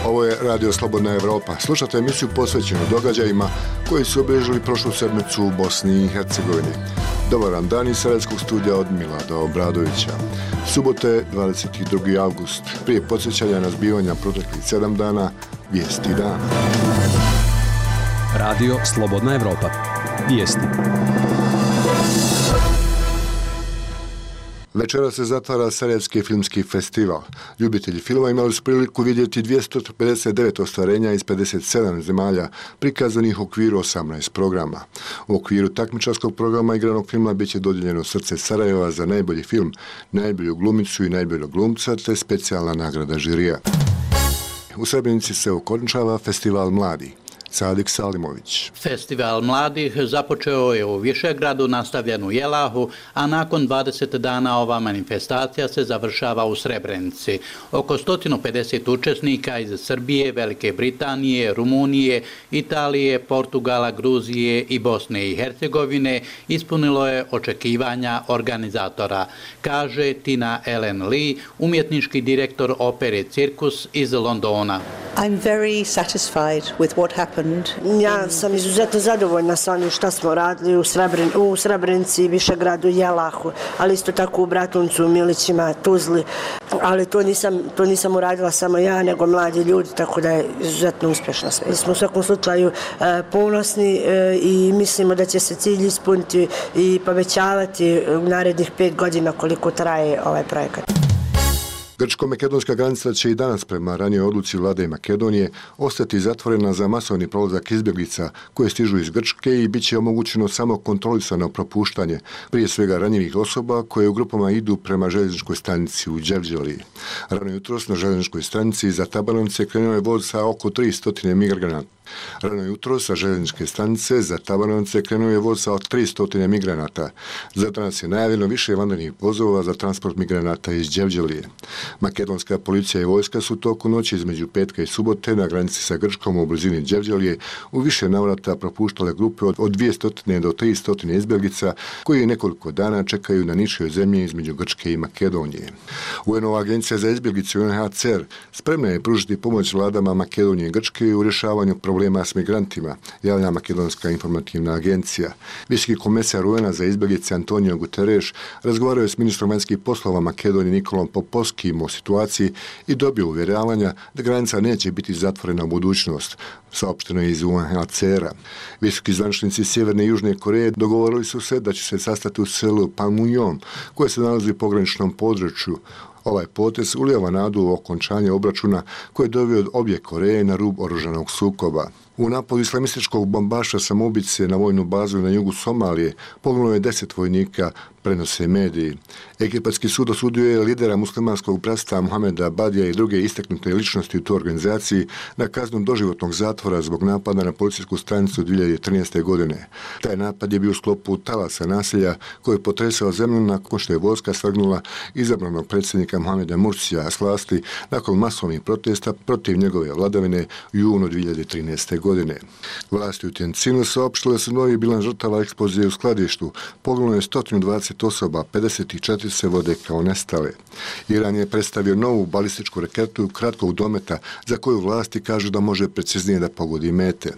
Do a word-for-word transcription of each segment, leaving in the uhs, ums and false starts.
Ovo je Radio Slobodna Evropa. Slušate emisiju posvećenu događajima koji su obilježili prošlu sedmicu u Bosni i Hercegovini. Dobar vam dan iz Sarajevskog studija od Milada Obradovića. Subote, dvadeset drugi avgust. Prije podsjećanja na zbivanja proteklih sedam dana, vijesti dana. Radio Slobodna Evropa. Vijesti. Večera se zatvara Sarajevski filmski festival. Ljubitelji filma imali su priliku vidjeti dvjesto pedeset devet ostvarenja iz pedeset sedam zemalja, prikazanih u okviru osamnaest programa. U okviru takmičarskog programa igranog filma bit će dodijeljeno Srce Sarajeva za najbolji film, najbolju glumicu i najboljeg glumca, te specijalna nagrada žirija. U Srebrenici se okončava Festival mladih. Sadik Salimović. Festival mladih započeo je u Višegradu, nastavljen u Jelahu, a nakon dvadeset dana ova manifestacija se završava u Srebrenici. Oko sto pedeset učesnika iz Srbije, Velike Britanije, Rumunije, Italije, Portugala, Gruzije i Bosne i Hercegovine ispunilo je očekivanja organizatora, kaže Tina Ellen Lee, umjetnički direktor opere Cirkus iz Londona. I'm very satisfied with what happened. Ja sam izuzetno zadovoljna sa onim što smo radili u, Srebren, u Srebrenici, Višegradu, Jelahu, ali isto tako u Bratuncu, Milićima, Tuzli, ali to nisam, to nisam uradila samo ja, nego mladi ljudi, tako da je izuzetno uspješno sve. Smo u svakom slučaju e, ponosni e, i mislimo da će se cilj ispuniti i povećavati u narednih pet godina koliko traje ovaj projekat. Grčko-makedonska granica će i danas prema ranijoj odluci vlade Makedonije ostati zatvorena za masovni prolazak izbjeglica koje stižu iz Grčke i bit će omogućeno samo kontrolisano propuštanje, prije svega ranjivih osoba koje u grupama idu prema željezničkoj stanici u Đevđeliji. Rano jutros na željezničkoj stanici za Tabanovce krenuo je voz sa oko tristo migranata. Rano jutro sa željezničke stanice za Tabanovce krenuo je voz sa tristo migranata. Za danas je najavljeno više vanrednih vozova za transport migranata iz Đevđelije. Makedonska policija i vojska su toku noći između petka i subote na granici sa Grčkom u blizini Đevđelije u više navrata propuštale grupe od dvjesto do tristo izbjeglica koji nekoliko dana čekaju na ničoj zemlji između Grčke i Makedonije. U en ova agencija za izbjeglice U N H C R spremna je pružiti pomoć vladama Makedonije i Grčke u rješavanju problema s migrantima, javlja Makedonska informativna agencija. Visoki komesar U N-a za izbjeglice Antonio Guterres razgovarao je s ministrom vanjskih poslova Makedonije Nikolom Popovskim o situaciji i dobio uvjeravanja da granica neće biti zatvorena u budućnost, saopšteno je iz U N H C R-a. Visoki zvaničnici Sjeverne i Južne Koreje dogovorili su se da će se sastati u selu Panmunjom, koje se nalazi u pograničnom području. Ovaj potez ulijeva nadu u okončanje obračuna koje je doveo obje Koreje na rub oružanog sukoba. U napadu islamističkog bombaša samoubice na vojnu bazu na jugu Somalije poginulo je deset vojnika, prenose mediji. Egipatski sud osudio je lidera muslimanskog bratstva Muhameda Badija i druge istaknute ličnosti u toj organizaciji na kaznu doživotnog zatvora zbog napada na policijsku stanicu dvije hiljade trinaeste. godine. Taj napad je bio u sklopu talasa nasilja koji je potresao zemlju nakon što je vojska svrgnula izabranog predsjednika Muhameda Mursija s vlasti nakon masovnih protesta protiv njegove vladavine u junu dvije hiljade trinaeste. godine. Vlasti u Tjencinu saopštile su novi bilan žrtava eksplozije u skladištu. Poginulo je sto dvadeset osoba, pedeset četiri se vode kao nestale. Iran je predstavio novu balističku raketu kratkog dometa za koju vlasti kažu da može preciznije da pogodi mete.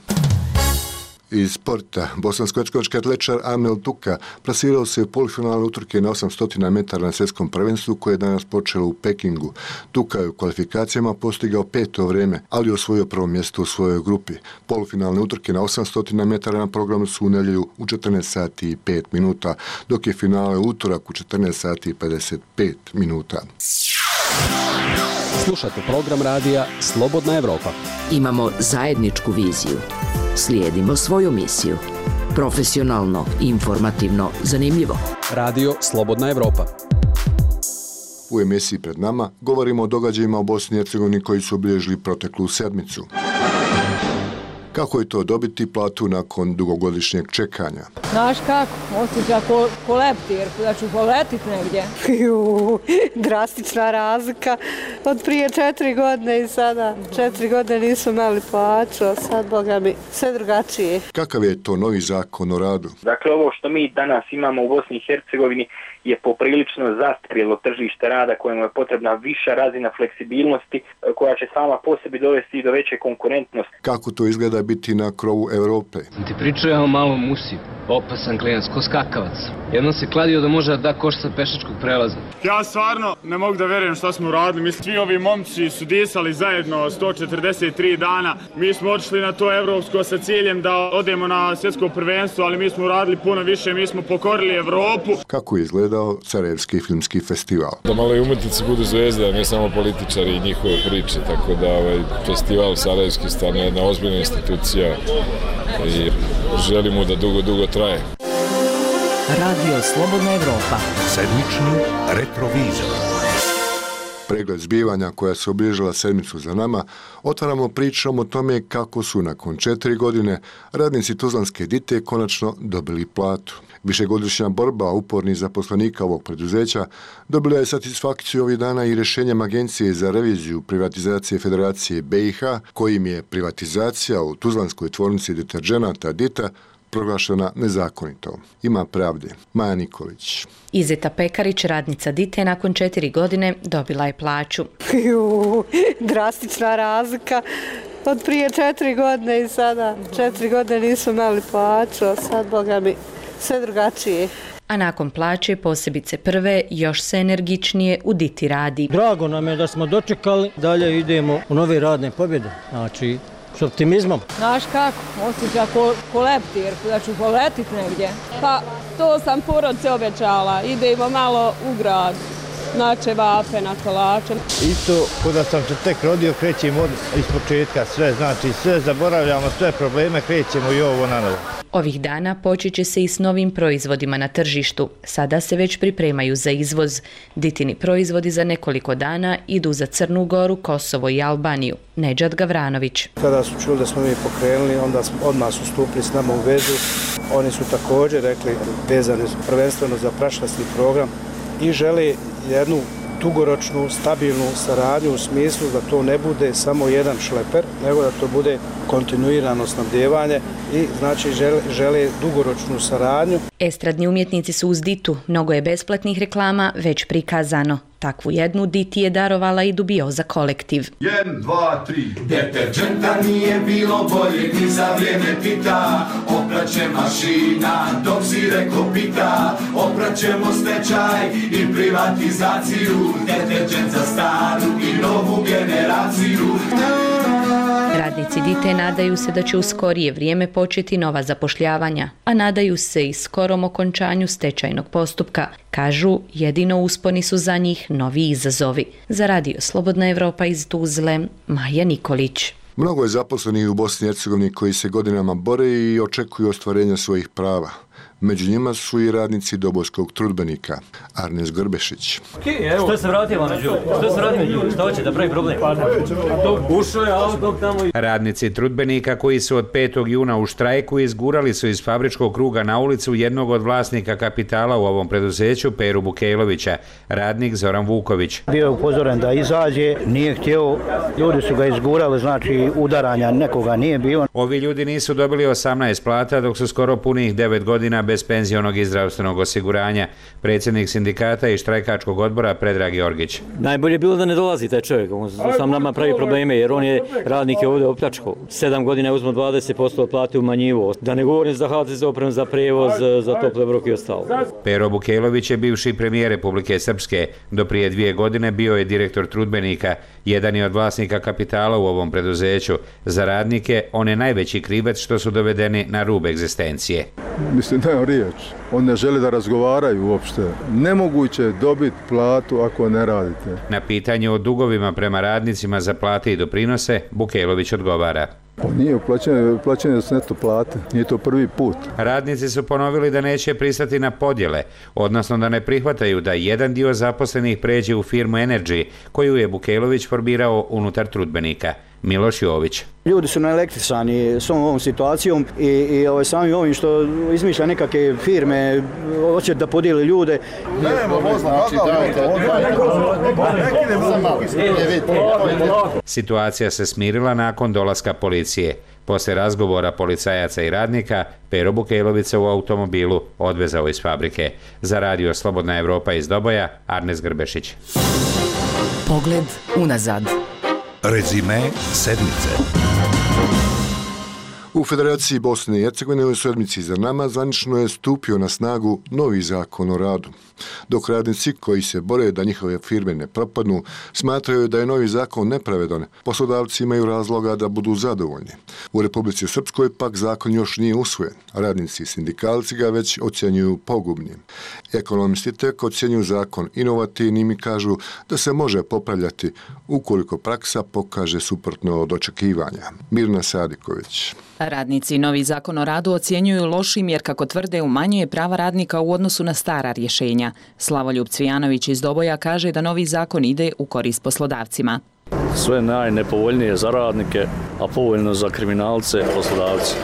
Iz sporta, bosansko-hercegovački atletičar Amel Tuka plasirao se u polufinalu utrke na osamsto metara na svjetskom prvenstvu koje je danas počelo u Pekingu. Tuka je u kvalifikacijama postigao peto vrijeme, ali osvojio prvo mjesto u svojoj grupi. Polufinalne utrke na osamsto metara na programu su u nedjelju u četrnaest sati i pet minuta, dok je finale utorak u četrnaest sati i pedeset pet minuta. Slušate program radija Slobodna Evropa. Imamo zajedničku viziju. Slijedimo svoju misiju. Profesionalno, informativno, zanimljivo. Radio Slobodna Evropa. U emisiji pred nama govorimo o događajima u Bosni i Hercegovini koji su obilježili proteklu sedmicu. Kako je to dobiti platu nakon dugogodišnjeg čekanja? Znaš kako, osjeća ko, ko leptir, da ću poletit negdje. Ju, drastična razlika od prije četiri godine i sada. Četiri godine nisu imali plaću, a sad, boga mi, sve drugačije. Kakav je to novi zakon o radu? Dakle, ovo što mi danas imamo u Bosni i Hercegovini je poprilično zastarjelo tržište rada kojemu je potrebna viša razina fleksibilnosti koja će sama po sebi dovesti i do veće konkurentnosti. Kako to izgleda biti na krovu Europe? Ti pričao ja o malom Musi, opasan klijent, ko skakavac. Jednom se kladio da može da koš sa pešačkog prelaza. Ja stvarno ne mogu da verujem šta smo uradili. Mislim, svi ovi momci su disali zajedno sto četrdeset tri dana. Mi smo otišli na to evropsko sa ciljem da odemo na svjetsko prvenstvo, ali mi smo uradili puno više, mi smo pokorili Evropu. Kako je izgledao Sarajevski filmski festival? Da malo i umetnici budu zvezde, ne samo političari i njihove priče, tako da ovaj festival Sarajevski stane jedna ozbiljna institucija i želimo da dugo, dugo traje. Radio Slobodna Evropa. Sedmični retrovizor. Pregled zbivanja koja se obilježila sedmicu za nama, otvaramo pričom o tome kako su nakon četiri godine radnici Tuzlanske Dite konačno dobili platu. Višegodišnja borba upornih zaposlenika ovog preduzeća dobila je satisfakciju ovih dana i rješenjem Agencije za reviziju privatizacije Federacije B i H, kojim je privatizacija u Tuzlanskoj tvornici deterđenata Dita proglašena nezakonito. Ima pravde. Maja Nikolić. Izeta Pekarić, radnica Dite, nakon četiri godine dobila je plaću. Ju, drastična razlika od prije četiri godine i sada. Četiri godine nisu imali plaću, a sad, boga mi, sve drugačije. A nakon plaće, posebice prve, još se energičnije u Diti radi. Drago nam je da smo dočekali, dalje idemo u nove radne pobjede, znači s optimizmom. Znaš kako, osjeća ko, ko leptir, da ću poletit negdje. Pa to sam porodce obećala, idemo malo u grad, na čevape, na kolače. Isto, kada sam se tek rodio, krećemo od ispočetka, sve, znači sve zaboravljamo, sve probleme, krećemo i ovo na novo. Ovih dana počet će se i s novim proizvodima na tržištu. Sada se već pripremaju za izvoz. Ditini proizvodi za nekoliko dana idu za Crnu Goru, Kosovo i Albaniju. Nedžad Gavranović. Kada su čuli da smo mi pokrenuli, onda smo odmah su stupili s nama u vezu. Oni su također rekli vezani prvenstveno za prašlasni program i žele jednu dugoročnu, stabilnu saradnju u smislu da to ne bude samo jedan šleper, nego da to bude kontinuirano snabdjevanje i znači žele, žele dugoročnu saradnju. Estradni umjetnici su uz Ditu, mnogo je besplatnih reklama već prikazano. Takvu jednu Diti je darovala i Dubioza kolektiv. Jedan, dva, tri. Deterđenta nije bilo bolje ni za vrijeme Tita. Opraće mašina dok si reko pita. Opraćemo stečaj i privatizaciju. Deterđent za staru i novu generaciju. Radnici Dite nadaju se da će u skorije vrijeme početi nova zapošljavanja, a nadaju se i skorom okončanju stečajnog postupka. Kažu, jedino usponi su za njih novi izazovi. Za Radio Slobodna Evropa iz Tuzle, Maja Nikolić. Mnogo je zaposlenih u Bosni i Hercegovini koji se godinama bore i očekuju ostvarenja svojih prava. Među njima su i radnici Dobojskog trudbenika, Arnes Grbešić. Što se vratila među? Što se vratila među? Što hoće da pravi problem? Ušao je auto tamo. Radnici trudbenika koji su od petog juna u štrajku izgurali su iz fabričkog kruga na ulicu jednog od vlasnika kapitala u ovom preduzeću, Peru Bukejlovića, radnik Zoran Vuković. Bio je upozoren da izađe, nije htio, ljudi su ga izgurali, znači udaranja nekoga nije bilo. Ovi ljudi nisu dobili osamnaest plata dok su skoro punih devet godina bez penzionog i zdravstvenog osiguranja. Predsjednik sindikata i štrajkačkog odbora Predrag Jorgić. Najbolje je bilo da ne dolazi taj čovjek, on sam nama pravi probleme jer on je radnik je ovdje opljačkao. Sedam godina je uzmo dvadeset posto plate umanjivo. Da ne govorim za H T Z opremu, za prevoz, za tople obroke i ostalo. Pero Bukejlović je bivši premijer Republike Srpske. Do prije dvije godine bio je direktor trudbenika. Jedan je od vlasnika kapitala u ovom preduzeću. Za radnike on je najveći krivac što su dovedeni na rub egzistencije. Mislim da je riječ. On ne želi da razgovaraju uopšte. Nemoguće je dobiti platu ako ne radite. Na pitanje o dugovima prema radnicima za plate i doprinose, Bukejlović odgovara. Nije uplaćeno, uplaćeno s neto plate, nije to prvi put. Radnici su ponovili da neće pristati na podjele, odnosno da ne prihvataju da jedan dio zaposlenih pređe u firmu Energy, koju je Bukejlović formirao unutar trudbenika. Miloš Jović. Ljudi su naelektrisani s ovom situacijom i, i ovaj, sami ovim što izmišlja nekakve firme, hoće da podijeli ljude. Situacija se smirila nakon dolaska policije. Posle razgovora policajaca i radnika, Pero Bukejlovica u automobilu odvezao iz fabrike. Za radio Slobodna Evropa iz Doboja, Arnes Grbešić. Pogled unazad. Rezime sedmice. U Federaciji Bosne i Hercegovine u sedmici za nama zvanično je stupio na snagu novi zakon o radu. Dok radnici koji se bore da njihove firme ne propadnu, smatraju da je novi zakon nepravedan, poslodavci imaju razloga da budu zadovoljni. U Republici Srpskoj pak zakon još nije usvojen, a radnici i sindikalci ga već ocjenjuju pogubnim. Ekonomisti tek ocjenjuju zakon inovativnim i kažu da se može popravljati ukoliko praksa pokaže suprotno od očekivanja. Mirna Sadiković. Radnici novi zakon o radu ocjenjuju lošim jer, kako tvrde, umanjuje prava radnika u odnosu na stara rješenja. Slavoljub Cvijanović iz Doboja kaže da novi zakon ide u korist poslodavcima. Sve najnepovoljnije za radnike, a povoljno za kriminalce, poslodavci.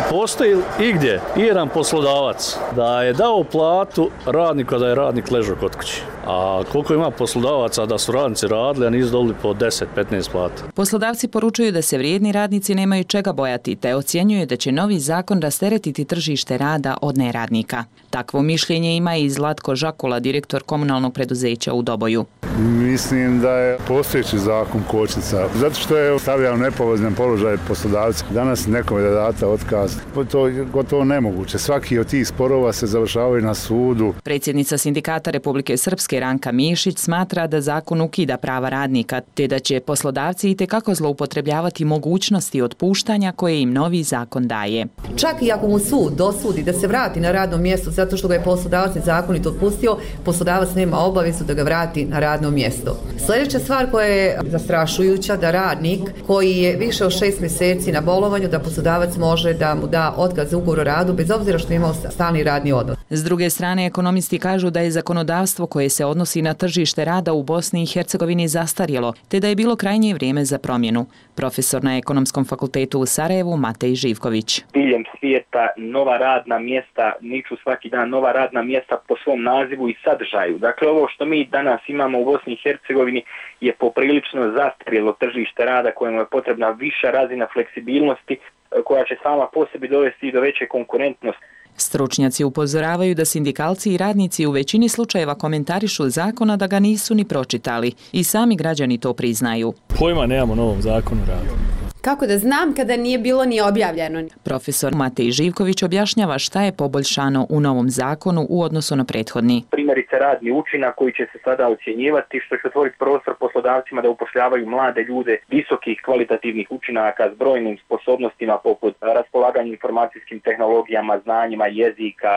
Postoji igdje jedan poslodavac da je dao platu radniku, da je radnik ležao kod kuće. A koliko ima poslodavaca da su radnici radili, a nisu dobili po deset do petnaest plata. Poslodavci poručuju da se vrijedni radnici nemaju čega bojati, te ocjenjuju da će novi zakon rasteretiti tržište rada od neradnika. Takvo mišljenje ima i Zlatko Žakula, direktor komunalnog preduzeća u Doboju. Mislim da je postojeći zakon kočnica, zato što je stavljao u nepovoljan položaj poslodavci. Danas nekome da date otkaz, to je gotovo nemoguće. Svaki od tih sporova se završavaju na sudu. Predsjednica Sindikata Republike Srpske Ranka Mišić smatra da zakon ukida prava radnika, te da će poslodavci itekako zloupotrebljavati mogućnosti otpuštanja koje im novi zakon daje. Čak i ako mu sud dosudi da se vrati na radno mjesto zato što ga je poslodavac nezakonito otpustio, poslodavac nema obavezu da ga vrati na radno mjesto. Sljedeća stvar koja je zastrašujuća, da radnik koji je više od šest mjeseci na bolovanju, da poslodavac može da mu da otkaz za ugovor o radu bez obzira što je imao stalni radni odnos. S druge strane, ekonomisti kažu da je zakonodavstvo koje se odnosi na tržište rada u Bosni i Hercegovini zastarjelo, te da je bilo krajnje vrijeme za promjenu. Profesor na Ekonomskom fakultetu u Sarajevu Matej Živković. Diljem svijeta nova radna mjesta, niču svaki dan nova radna mjesta po svom nazivu i sadržaju. Dakle, ovo što mi danas imamo u Bosni i Hercegovini je poprilično zastarjelo tržište rada kojemu je potrebna viša razina fleksibilnosti koja će sama po sebi dovesti do veće konkurentnosti. Stručnjaci upozoravaju da sindikalci i radnici u većini slučajeva komentarišu zakona da ga nisu ni pročitali i sami građani to priznaju. Pojma nemamo o novom zakonu rada. Kako da znam kada nije bilo ni objavljeno? Profesor Matej Živković objašnjava šta je poboljšano u novom zakonu u odnosu na prethodni. Primjerice radni učinak koji će se sada ocjenjivati, što će otvoriti prostor poslodavcima da upošljavaju mlade ljude visokih kvalitativnih učinaka s brojnim sposobnostima poput raspolaganja informacijskim tehnologijama, znanjima, jezika.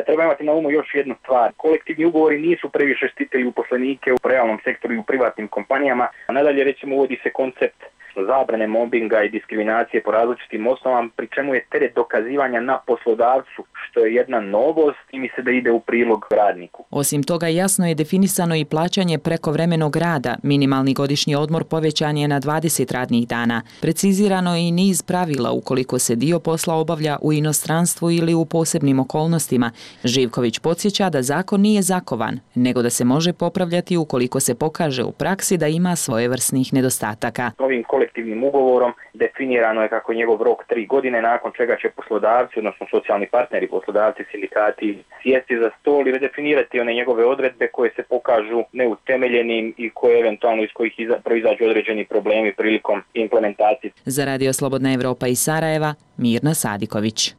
Treba imati na umu još jednu stvar. Kolektivni ugovori nisu previše štitili uposlenike u realnom sektoru i u privatnim kompanijama. Nadalje, recimo, uvodi se koncept zabrane mobinga i diskriminacije po različitim osnovama, pri čemu je teret dokazivanja na poslodavcu, što je jedna novost i mi se da ide u prilog radniku. Osim toga, jasno je definisano i plaćanje prekovremenog rada. Minimalni godišnji odmor povećan je na dvadeset radnih dana. Precizirano je i niz pravila ukoliko se dio posla obavlja u inostranstvu ili u posebnim okolnostima. Živković podsjeća da zakon nije zakovan, nego da se može popravljati ukoliko se pokaže u praksi da ima svojevrsnih nedostataka. Ovim kolektivnim ugovorom definirano je kako je njegov rok tri godine, nakon čega će poslodavci, odnosno socijalni partneri, poslodavci, sindikati sjesti za stol i redefinirati one njegove odredbe koje se pokažu neutemeljenim i koje eventualno iz kojih iza, proizađu određeni problemi prilikom implementacije. Za Radio Slobodna Evropa iz Sarajeva, Mirna Sadiković.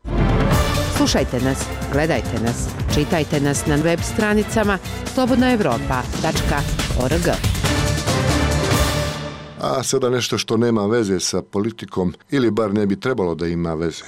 Slušajte nas, gledajte nas, čitajte nas na web stranicama slobodna evropa tačka org. A sada nešto što nema veze sa politikom ili bar ne bi trebalo da ima veze.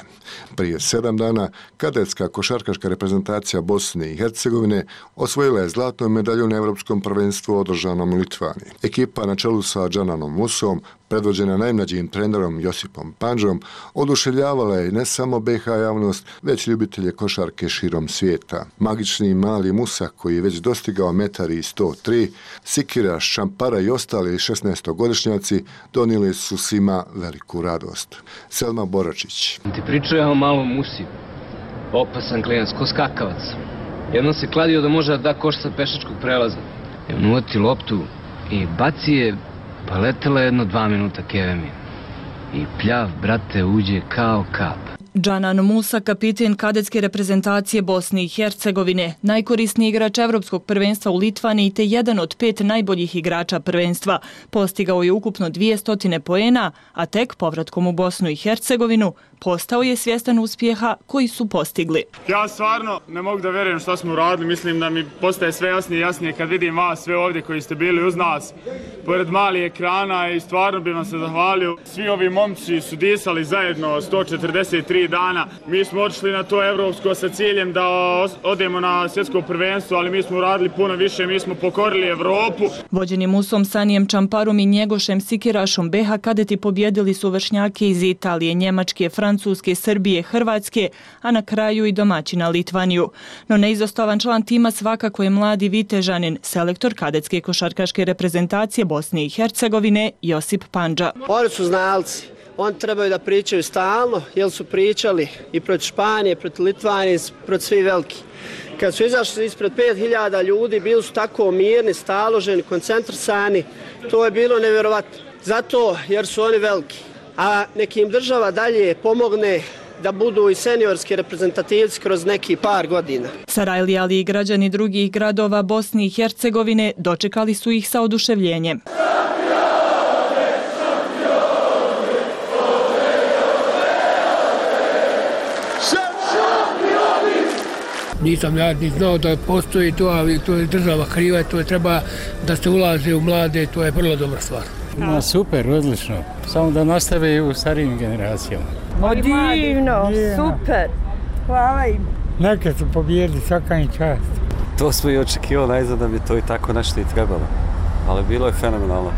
Prije sedam dana kadetska košarkaška reprezentacija Bosne i Hercegovine osvojila je zlatnu medalju na Evropskom prvenstvu održanom u Litvaniji. Ekipa na čelu sa Džananom Musom predvođena najmlađim trenerom Josipom Pandžom, oduševljavala je ne samo B H javnost, već ljubitelje košarke širom svijeta. Magični mali Musa, koji je već dostigao metar i sto tri, Sikira, Šampara i ostali šesnaestogodišnjaci donijeli su svima veliku radost. Selma Boračić. Ti pričao o malom Musi, opasan klijent, ko skakavac. Jednom se kladio da može da da koš sa pešačkog prelaza. Jednom uvati loptu i baci je, pa letela jedno dva minuta kevemi. I pljav, brate, uđe kao kap. Džanan Musa, kapiten kadetske reprezentacije Bosne i Hercegovine, najkorisniji igrač Evropskog prvenstva u Litvaniji te jedan od pet najboljih igrača prvenstva. Postigao je ukupno dvjesto poena, a tek povratkom u Bosnu i Hercegovinu postao je svjestan uspjeha koji su postigli. Ja stvarno ne mogu da vjerujem što smo uradili, mislim da mi postaje sve jasnije i jasnije kad vidim vas sve ovdje koji ste bili uz nas, pored malih ekrana, i stvarno bih vam se zahvalio. Svi ovi momci su disali zajedno sto četrdeset tri dana. Mi smo otišli na to evropsko sa ciljem da odemo na svjetsko prvenstvo, ali mi smo uradili puno više, mi smo pokorili Evropu. Vođeni Musom, Sanijem Čamparom i Njegošem Sikirašom, B H kadeti pobjedili su vršnjake iz Italije, Njemačke, Francuske, Srbije, Hrvatske, a na kraju i domaćina Litvaniju. No neizostavan član tima svakako je mladi Vitežanin, selektor kadetske košarkaške reprezentacije Bosne i Hercegovine, Josip Pandža. Oni su znalci. Oni trebaju da pričaju stalno, jer su pričali i protiv Španije, protiv Litvanije, protiv svi veliki. Kad su izašli ispred pet hiljada ljudi, bili su tako mirni, staloženi, koncentrisani, to je bilo nevjerovatno. Zato jer su oni veliki. A nekim država dalje pomogne da budu i seniorski reprezentativci kroz neki par godina. Sarajli, ali i građani drugih gradova Bosne i Hercegovine dočekali su ih sa oduševljenjem. Nisam ja ni znao da postoji to, ali to je država kriva, to je treba da se ulaze u mlade, to je vrlo dobra stvar. No, super, odlično. Samo da nastave u starijim generacijama. O, divno, super. Hvala im. Neka su pobjedili, svaka im čast. To smo i očekivali najzad da bi to i tako nešto i trebalo, ali bilo je fenomenalno.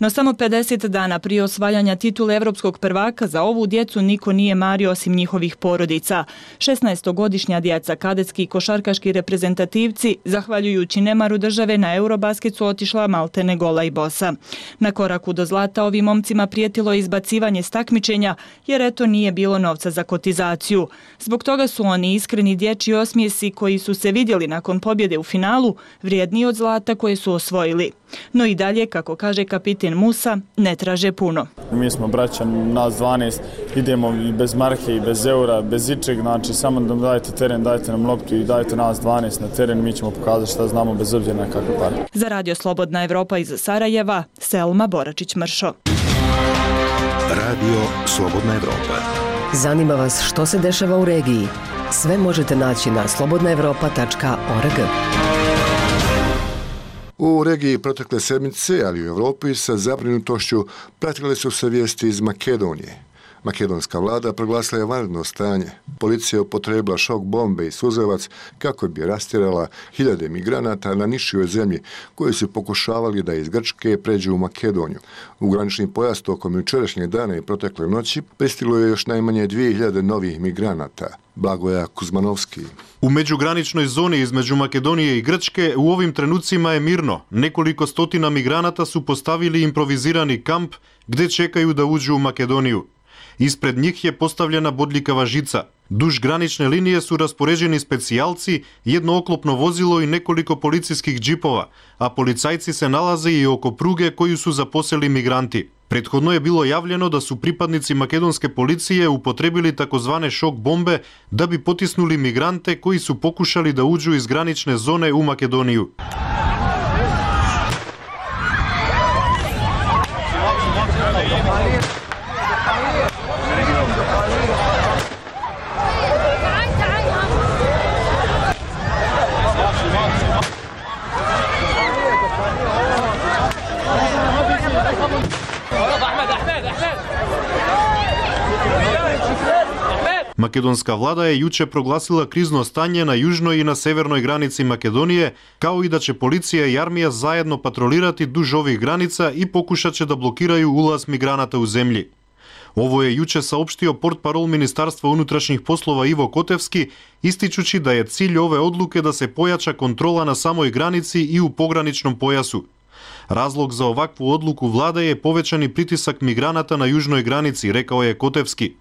No samo pedeset dana prije osvajanja titule evropskog prvaka za ovu djecu niko nije mario osim njihovih porodica. šesnaestogodišnja djeca, kadetski i košarkaški reprezentativci, zahvaljujući nemaru države na Eurobasket su otišla maltene gola i bosa. Na koraku do zlata ovim momcima prijetilo je izbacivanje s takmičenja, jer eto nije bilo novca za kotizaciju. Zbog toga su oni iskreni dječji osmijesi koji su se vidjeli nakon pobjede u finalu vrijedniji od zlata koje su osvojili. No i dalje, kako kaže kapitan Musa, ne traže puno. Mi smo braća, nas dvanaest, idemo i bez marke i bez eura, bez ičeg, znači samo da dajte teren, dajte nam loptu i dajte nas dvanaest na teren, mi ćemo pokazati šta znamo bez obzira na kakve pare. Za Radio Slobodna Evropa iz Sarajeva, Selma Boračić-Mršo. Radio Slobodna Evropa. Zanima vas što se dešava u regiji? Sve možete naći na slobodna evropa tačka org. U regiji protekle sedmice, ali u Evropi sa zabrinutošću pratile su se vijesti iz Makedonije. Makedonska vlada proglasila je vanredno stanje. Policija upotrijebila šok bombe i suzavac kako bi rastjerala hiljade migranata na nišijoj zemlji koji su pokušavali da iz Grčke pređu u Makedoniju. U granični pojas tokom jučerašnjeg dana i protekle noći pristiglo je još najmanje dvije hiljade novih migranata. Blagoja Kuzmanovski. U međugraničnoj zoni između Makedonije i Grčke u ovim trenucima je mirno. Nekoliko stotina migranata su postavili improvizirani kamp gdje čekaju da uđu u Makedoniju. Ispred njih je postavljena bodljikava žica. Duž granične linije su raspoređeni specijalci, jedno oklopno vozilo i nekoliko policijskih džipova, a policajci se nalaze i oko pruge koju su zaposeli migranti. Prethodno je bilo javljeno da su pripadnici makedonske policije upotrebili takozvane šok bombe da bi potisnuli migrante koji su pokušali da uđu iz granične zone u Makedoniju. Македонска влада е јуче прогласила кризно стање на јужној и на северној граници Македонije, као и да ќе полиција и армија заедно патролирати дуж ових граница и покушаче да блокирају улаз миграната у земји. Ово е јуче саопштио портпарол Министарство унутрашних послова Иво Котевски, истичучи да е cilj ове одлуке да се појача контрола на самој граници и у пограничном појасу. Разлог за овакву одлуку влада е повеќани притисак миграната на јужној граници, рекао е Котевски.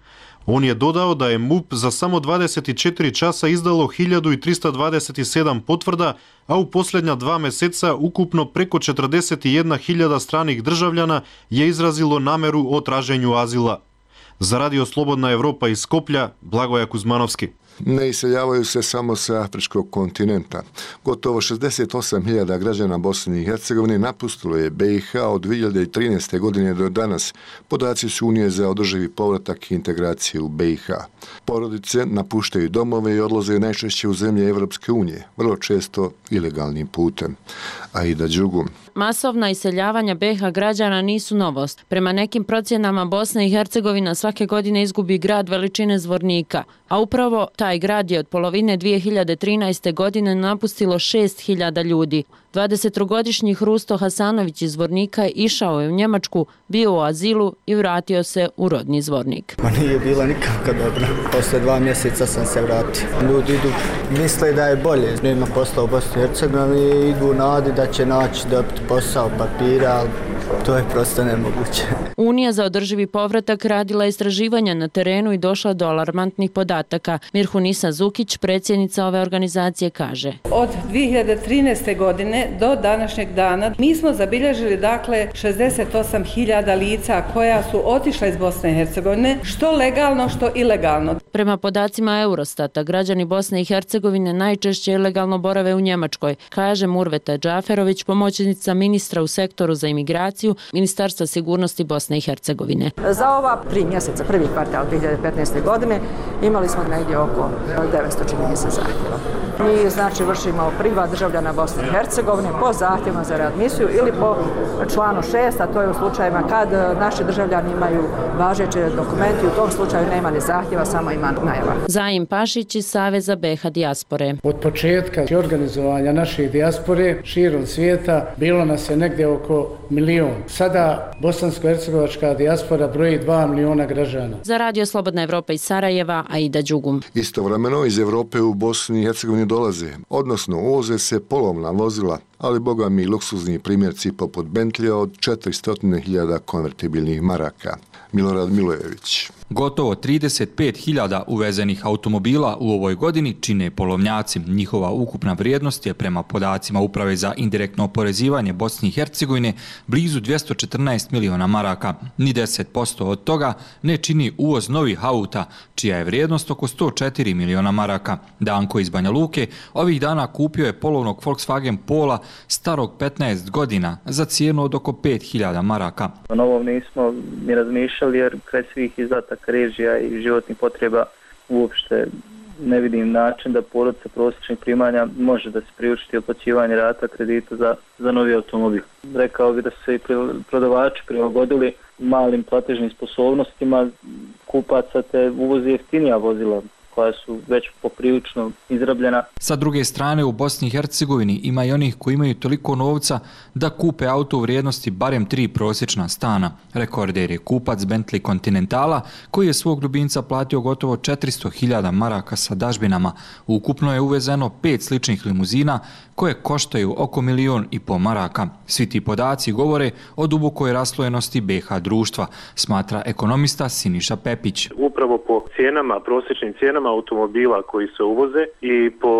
Он е додao da je МУП за само дваесет и четири часа издало илјаду и триста дваесет и седам потврда, а у последња два месеца укупно преко четрдесет и една илјада страних држављана ја изразило намеру о тражењу азила. За Радио Слободна Европа из Скопља, Благоја Кузмановски. Ne iseljavaju se samo sa afričkog kontinenta. Gotovo šezdeset osam hiljada građana Bosne i Hercegovine napustilo je B i H od dve hiljade trinaeste. godine do danas. Podaci su Unije za održivi povratak i integraciju u B i H. Porodice napuštaju domove i odlaze najčešće u zemlje Evropske unije, vrlo često ilegalnim putem. Aida Đugum. Masovna iseljavanja B i H građana nisu novost. Prema nekim procjenama Bosna i Hercegovina svake godine izgubi grad veličine Zvornika, a upravo taj grad je od polovine dve hiljade trinaeste. godine napustilo šest hiljada ljudi. dvadesettrogodišnji Hrusto Hasanović iz Zvornika išao je u Njemačku, bio u azilu i vratio se u rodni Zvornik. Ma nije bila nikako dobro. Posle dva mjeseca sam se vratio. Ljudi idu, misle da je bolje. Nema posla u Bosni i Hercegovini i idu u nadi da će naći dobiti posao, papira, ali to je prosto nemoguće. Unija za održivi povratak radila istraživanja na terenu i došla do alarmantnih podataka. Mirhunisa Zukić, predsjednica ove organizacije, kaže: Od dve hiljade trinaeste. godine do današnjeg dana mi smo zabilježili dakle šezdeset osam hiljada lica koja su otišla iz Bosne i Hercegovine, što legalno, što ilegalno. Prema podacima Eurostata, građani Bosne i Hercegovine najčešće ilegalno borave u Njemačkoj, kaže Murveta Džaferović, pomoćnica ministra u sektoru za imigraciju Ministarstva sigurnosti Bosne i Hercegovine. Za ova tri mjeseca, prvi kvartal dve hiljade petnaeste. godine, imali smo negdje oko devetsto čini se zahtjeva. Mi znači vršimo privat državljana Bosne i Hercegovine po zahtjevima za readmisiju ili po članu šest, a to je u slučajevima kad naši državljani imaju važeće dokumenti, u tom slučaju nema ni zahtjeva, samo ima najava. Zaim Pašić iz Saveza B i H dijaspore. Od početka organizovanja naše dijaspore širom svijeta bilo nas je negdje oko milion. Sada bosansko-hercegovačka dijaspora broji dva miliona građana. Za Radio Slobodna Evropa iz Sarajeva, Aida Đugum. Istovremeno iz Evrope u Bosni i Hercegovini dolaze, odnosno uvoze se polovna vozila, ali boga mi luksuzni primjerci poput Bentlija od četiristo hiljada konvertibilnih maraka. Milorad Milojević. Gotovo trideset pet hiljada uvezenih automobila u ovoj godini čine polovnjaci. Njihova ukupna vrijednost je prema podacima Uprave za indirektno oporezivanje Bosne i Hercegovine blizu dvjesto četrnaest miliona maraka. Ni deset posto od toga ne čini uvoz novih auta, čija je vrijednost oko sto četiri miliona maraka. Danko iz Banja Luke ovih dana kupio je polovnog Volkswagen Pola starog petnaest godina za cijenu od oko pet hiljada maraka. O novom nismo ni razmišljali jer kraj svih izdataka režija i životnih potreba uopšte ne vidim način da porodica prosječnih primanja može da se priučiti otplaćivanje rata kredita za, za novi automobil. Rekao bi da su se i prodavači prilagodili malim platežnim sposobnostima kupaca te uvozi jeftinija vozila koja su već poprilično izrabljena. Sa druge strane, u Bosni i Hercegovini ima i onih koji imaju toliko novca da kupe auto u vrijednosti barem tri prosječna stana. Rekorder je kupac Bentley Continentala koji je svog ljubimca platio gotovo četiristo hiljada maraka sa dažbinama. Ukupno je uvezeno pet sličnih limuzina koje koštaju oko milion i po maraka. Svi ti podaci govore o dubokoj raslojenosti B i H društva, smatra ekonomista Siniša Pepić. Upravo po cijenama, prosječnim cijenama automobila koji se uvoze i po,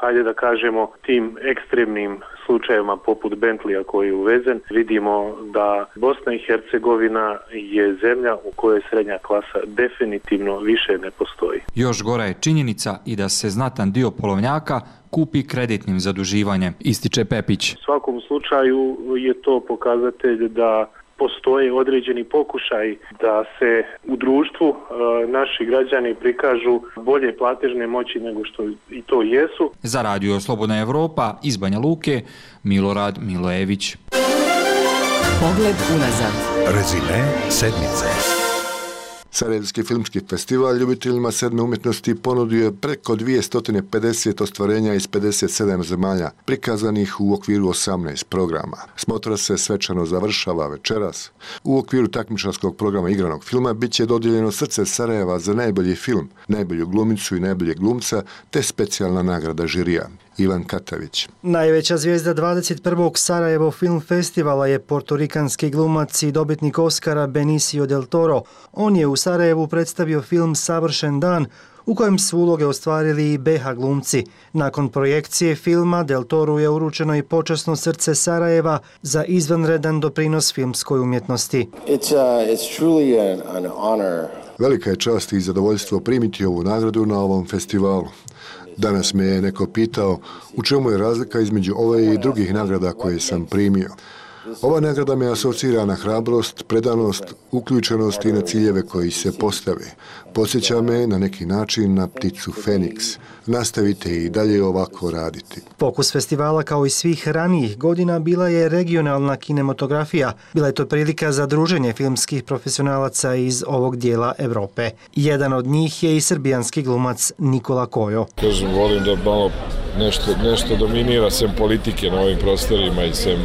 hajde da kažemo, tim ekstremnim slučajevima poput Bentleya koji je uvezen, vidimo da Bosna i Hercegovina je zemlja u kojoj srednja klasa definitivno više ne postoji. Još gora je činjenica i da se znatan dio polovnjaka kupi kreditnim zaduživanjem, ističe Pepić. U svakom slučaju je to pokazatelj da postoje određeni pokušaj da se u društvu e, naši građani prikažu bolje platežne moći nego što i to jesu. Za Radio Slobodna Evropa iz Banja Luke, Milorad Milojević. Pogled unazad. Rezime sedmice. Sarajevski filmski festival ljubiteljima sedme umjetnosti ponudio je preko dvjesto pedeset ostvarenja iz pedeset sedam zemalja, prikazanih u okviru osamnaest programa. Smotra se svečano završava večeras. U okviru takmičarskog programa igranog filma bit će dodijeljeno Srce Sarajeva za najbolji film, najbolju glumicu i najboljeg glumca, te specijalna nagrada žirija. Ivan Katavić. Najveća zvijezda dvadeset prvog Sarajevo Film Festivala je portorikanski glumac i dobitnik Oscara Benicio del Toro. On je u Sarajevu predstavio film Savršen dan, u kojem su uloge ostvarili i B H glumci. Nakon projekcije filma Del Toru je uručeno i počasno Srce Sarajeva za izvanredan doprinos filmskoj umjetnosti. It's, uh, it's truly an, an honor. Velika je čast i zadovoljstvo primiti ovu nagradu na ovom festivalu. Danas me je neko pitao u čemu je razlika između ove i drugih nagrada koje sam primio. Ova nagrada me asocira na hrabrost, predanost, uključenost i na ciljeve koji se postave. Podsjeća me na neki način na pticu Feniks. Nastavite i dalje ovako raditi. Fokus festivala kao i svih ranijih godina bila je regionalna kinematografija. Bila je to prilika za druženje filmskih profesionalaca iz ovog dijela Evrope. Jedan od njih je i srbijanski glumac Nikola Kojo. Kažem, volim da malo nešto, nešto dominira sem politike na ovim prostorima i sem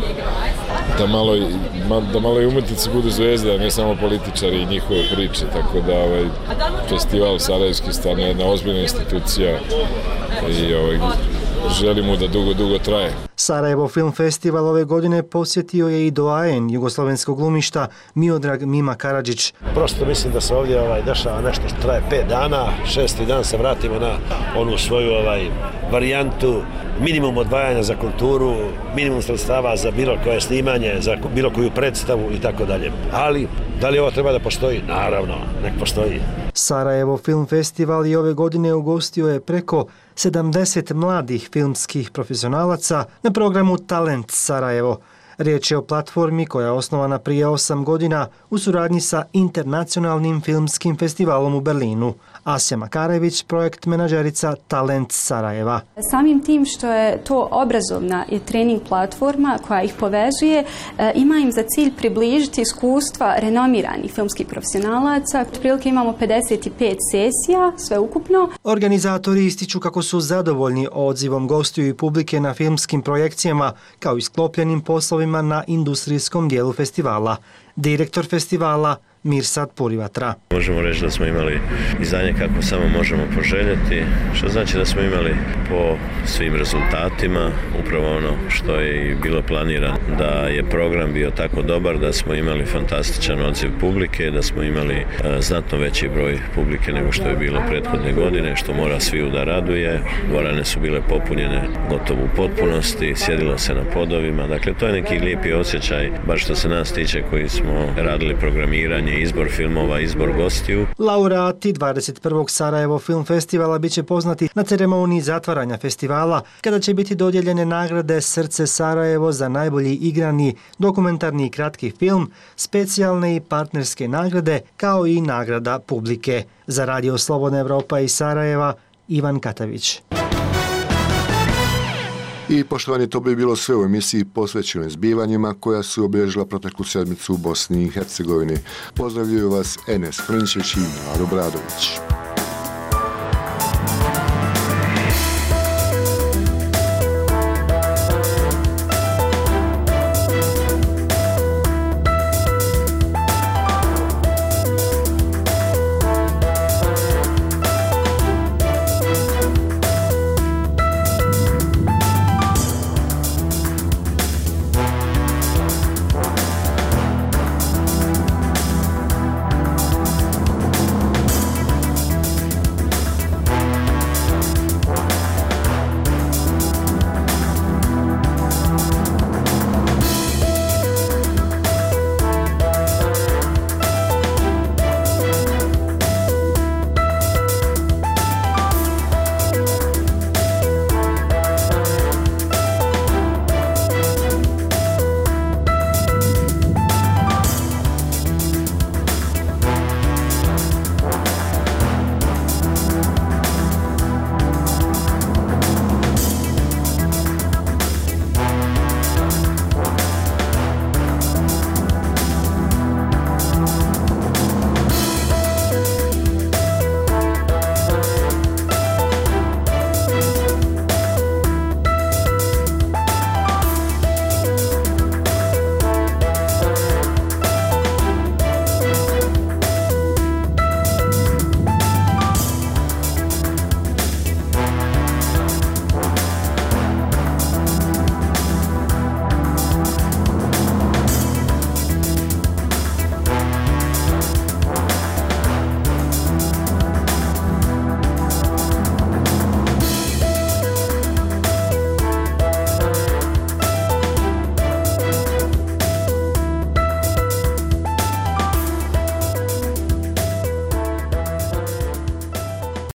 da malo, da malo i umetnici budu zvezde, a ne samo političari i njihove priče, tako da ovaj festival Sarajevski stvarno je jedna ozbiljna institucija i ovaj, želim mu da dugo, dugo traje. Sarajevo Film Festival ove godine posjetio je i doajen jugoslovenskog glumišta Miodrag Mima Karadžić. Prosto mislim da se ovdje ovaj, dešava nešto što traje pet dana, šesti dan se vratimo na onu svoju ovaj, varijantu, minimum odvajanja za kulturu, minimum sredstava za bilo koje snimanje, za bilo koju predstavu i tako dalje. Ali, da li ovo treba da postoji? Naravno, nek postoji. Sarajevo Film Festival i ove godine ugostio je preko sedamdeset mladih filmskih profesionalaca na programu Talent Sarajevo. Riječ je o platformi koja je osnovana prije osam godina u suradnji sa Internacionalnim filmskim festivalom u Berlinu. Asja Makarević, projekt menadžerica Talent Sarajeva. Samim tim što je to obrazovna i trening platforma koja ih povezuje, ima im za cilj približiti iskustva renomiranih filmskih profesionalaca. Otprilike imamo pedeset pet sesija, sve ukupno. Organizatori ističu kako su zadovoljni odzivom gostiju i publike na filmskim projekcijama, kao i sklopljenim poslovima na industrijskom dijelu festivala. Direktor festivala Mirsad Purivatra. Možemo reći da smo imali izdanje kako samo možemo poželjeti, što znači da smo imali po svim rezultatima upravo ono što je i bilo planirano, da je program bio tako dobar, da smo imali fantastičan odziv publike, da smo imali uh, znatno veći broj publike nego što je bilo prethodne godine, što mora sviju da raduje. Dvorane su bile popunjene gotovo u potpunosti, sjedilo se na podovima, dakle to je neki lijepi osjećaj, baš što se nas tiče koji smo radili programiranje, izbor filmova, izbor gostiju. Laureati dvadeset prvog Sarajevo Film Festivala biće poznati na ceremoniji zatvaranja festivala, kada će biti dodijeljene nagrade Srce Sarajevo za najbolji igrani dokumentarni i kratki film, specijalne i partnerske nagrade, kao i nagrada publike. Za Radio Slobodna Evropa iz Sarajeva, Ivan Katavić. I poštovani, to bi bilo sve u emisiji posvećenoj zbivanjima koja su obilježila proteklu sedmicu u Bosni i Hercegovini. Pozdravljaju vas Enes Frnčić i Maro Bradović.